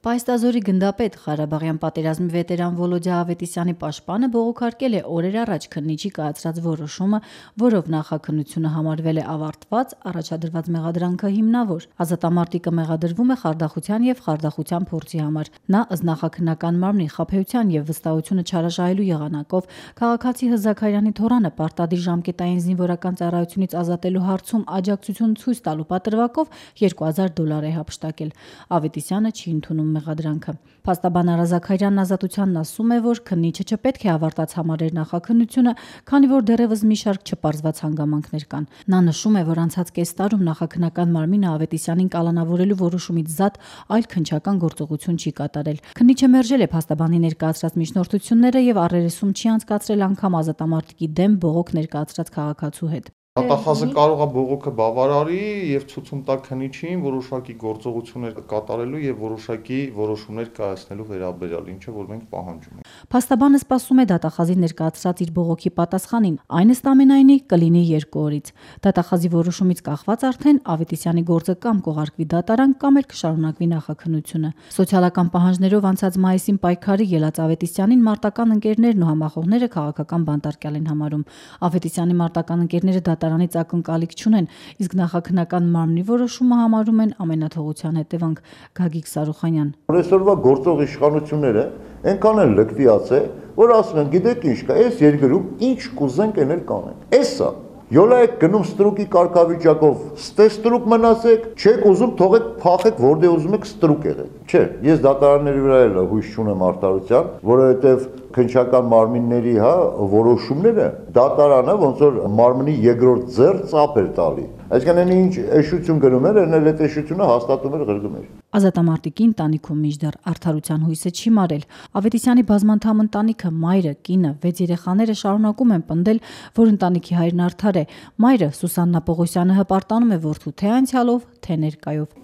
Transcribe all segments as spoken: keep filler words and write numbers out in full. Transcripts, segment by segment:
Պայստազորի գնդապետ, Ղարաբաղյան պատերազմի վետերան Վոլոդյա Ավետիսյանի պաշտպանը բողոքարկել է օրեր առաջ քննիչի կայացրած որոշումը, որով նախաքննությունը համարվել է ավարտված, առաջադրված մեղադրանքը հիմնավոր։ Ազատամարտիկը մեղադրվում է խարդախության եւ խարդախության փորձի համար։ Նա ըստ նախաքննական մարմնի խաբեության եւ վստահությունը չարաշահելու եղանակով քաղաքացի Հզաքարյանի թոռանը պարտադիր ժամկետային զինվորական ծառայությունից ազատելու հարցում աջակցություն ցույց տալու պատրվակով երկու հազար դոլար է հափշտակել։ Ավետիսյանը չի ընդունում մեղադրանքը։ Փաստաբան Արա Զաքարյանն Ազատությանն ասում է, որ քննիչը չպետք է ավարտած համարեր նախաքննությունը, քանի որ դեռևս մի շարք չպարզված հանգամանքներ կան։ Նա նշում է, որ անցած կես տարում նախաքննական մարմինը Ավետիսյանին կալանավորելու որոշումից զատ այլ քննչական գործողություն չի կատարել։ Քննիչը մերժել է փաստաբանի ներկայացրած միջնորդությունները եւ առերեսում չի անցկացրել անգամ ազատամարտիկի դեմ բողոք ներկայացրած քաղաքացու հետ։ Դատախազը կարող է բողոքը բավարարի եւ ցուցում տա քննիչին որոշակի գործողություններ կատարելու եւ որոշակի որոշումներ կայացնելու վերաբերյալ, ինչը որ մենք պահանջում ենք։ Փաստաբանը սպասում է դատախազի ներկայացրած իր բողոքի պատասխանին, այն ըստ ամենայնի կլինի երկու օրից։ Դատախազի որոշումից կախված արդեն Ավետիսյանի գործը կամ կողարկվի դատարան, կամ էլ կշարունակվի նախաքննությունը։ Սոցիալական պահանջներով անցած մայիսին պայքարի ելած Ավետիսյանին մարտական ընկերներն ու համախոհները քաղաքական բանտարկյալ են համարում։ Ավետիսյանի մարտական ընկերները դատարանից ակնկալիք չունեն, իսկ նախաքննական մարմնի որոշումը համարում են ամենաթողության հետևանք։ Գագիկ Սարուխանյան։ Այսօրվա գործող իշխանությունները այնքան են լկտիացել, որ ասում են, գիտեք ինչ կա, այս երկրում ինչ կուզենք էնել կանենք։ Էսա Յոլա եք գնում ստրուկի կարգավիճակով, ստե ստրուկ մնացեք, չեք ուզում թողեք փախեք, որտեղ ուզում եք ստրուկ եղեք։ Չէ, ես դատարանների վրա էլ հույս չունեմ արդարության, որովհետև քննչական մարմինների, հա, որոշումները դատարանը ոնց որ մարմնի երկրորդ ձեռ ծափ էր տալի։ Այսինքն այն ինչ էշություն գնում էր, այն էլ այդ էշությունը հաստատում էր ղրգում էր։ Ազատամարտիկի ընտանիքում մինչդեռ արդարության հույսը չի մարել։ Ավետիսյանի բազմանդամ ընտանիքը, մայրը, կինը, վեց երեխաները շարունակում են պնդել, որ ընտանիքի հայրն արդար է։ Մայրը Սուսաննա Պողոսյանը հպարտանում է որդու թե անցյալով, թե ներկայով։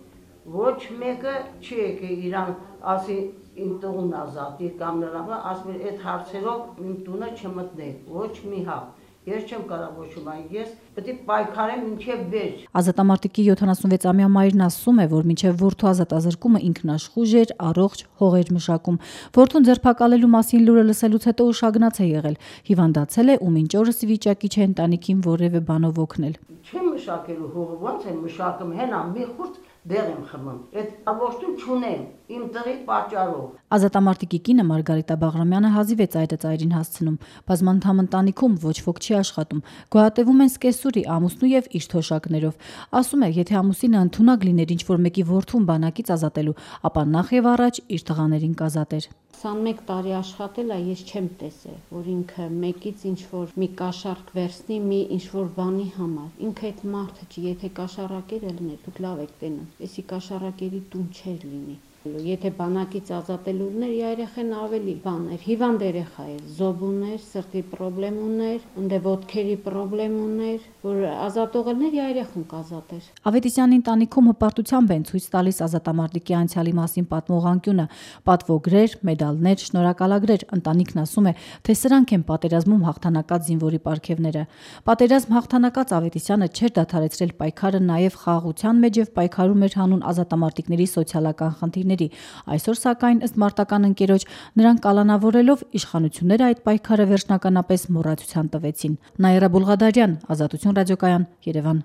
Ոչ մեկը չի եկել իրան ասի իմ տունն ազատի կամ նրան, ասում է այդ հարցերով իմ տունը չմտնեք, ոչ մի հավ։ Ես չեմ կարող ոչում այն, ես պետք է պայքարեմ մինչև վերջ։ Ազատամարտիկի յոթանասունվեց-ամյա մայրն ասում է, որ մինչև որդու ազատազրկումը ինքն աշխույժ էր, առողջ, հողեր մշակում։ Որդուն ձերբակալելու մասին լուրը լսելուց հետո ուշագնաց է եղել, հիվանդացել է ու մինչ օրս ի վիճակի չէ ընտանիքին որևէ բանով օգնել։ Չեմ մշակելու հողը, ոնց եմ մշակում, հենա մի խուրձ դեղ եմ խմում։ Այդ առողջություն չունեմ իմ տղի պատճառով։ Ազատամարտիկի կինը Մարգարիտա Բաղրամյանը հազիվ է ծայրը ծայրին հասցնում։ Բազմանդամ ընտանիքում ոչ ոք չի աշխատում։ Գոհատևում են սկեսուրի, ամուսնու եւ իր թոշակներով։ Ասում է, եթե ամուսինը ընդունակ լիներ ինչ-որ մեկի որդուն բանակից ազատելու, ապա նախ եւ առաջ իր տղաներին կազատեր։ քսանմեկ տարի աշխատել է, ես չեմ տեսել, որ ինքը մեկից ինչ-որ մի կաշառք վերցնի մի ինչ-որ բանի համար։ Ինքը այդ մարդը չի, եթե կաշառակեր լիներ, դուք լավ եք տենում, էսի կաշառակերի տուն չէր լինի։ Եթե բանակից ազատելու ուներ, երեխան ավելի բան էր, հիվանդ երեխա էր, զոբ ուներ, սրտի պրոբլեմ ուներ, ընդե ոտքերի պրոբլեմ ուներ, որ ազատողներ երեխուն կազատեր։ Ավետիսյանի ընտանիքում հպարտությամբ են ցույց տալիս ազատամարտիկի անցյալի մասին պատմող անկյունը, պատվոգրեր, մեդալներ, շնորհակալագրեր։ Ընտանիքն ասում է, թե սրանք են պատերազմում հաղթանակած զինվորի պարգևները։ Պատերազմ հաղթանակած Ավետիսյանը չէր դադարեցրել պայքարը նաև խաղաղության մեջ եւ պայքարում էր հանուն ազատամարտիկների սոցիալական խնդիրների։ Այսօր սակայն ըստ մարտական ընկերոջ նրան կալանավորելով իշխանությունները այդ պայքարը վերջնականապես մոռացության տվեցին։ Նաիրա Բուլղադարյան, Ազատություն ռադիոկայան, Երևան։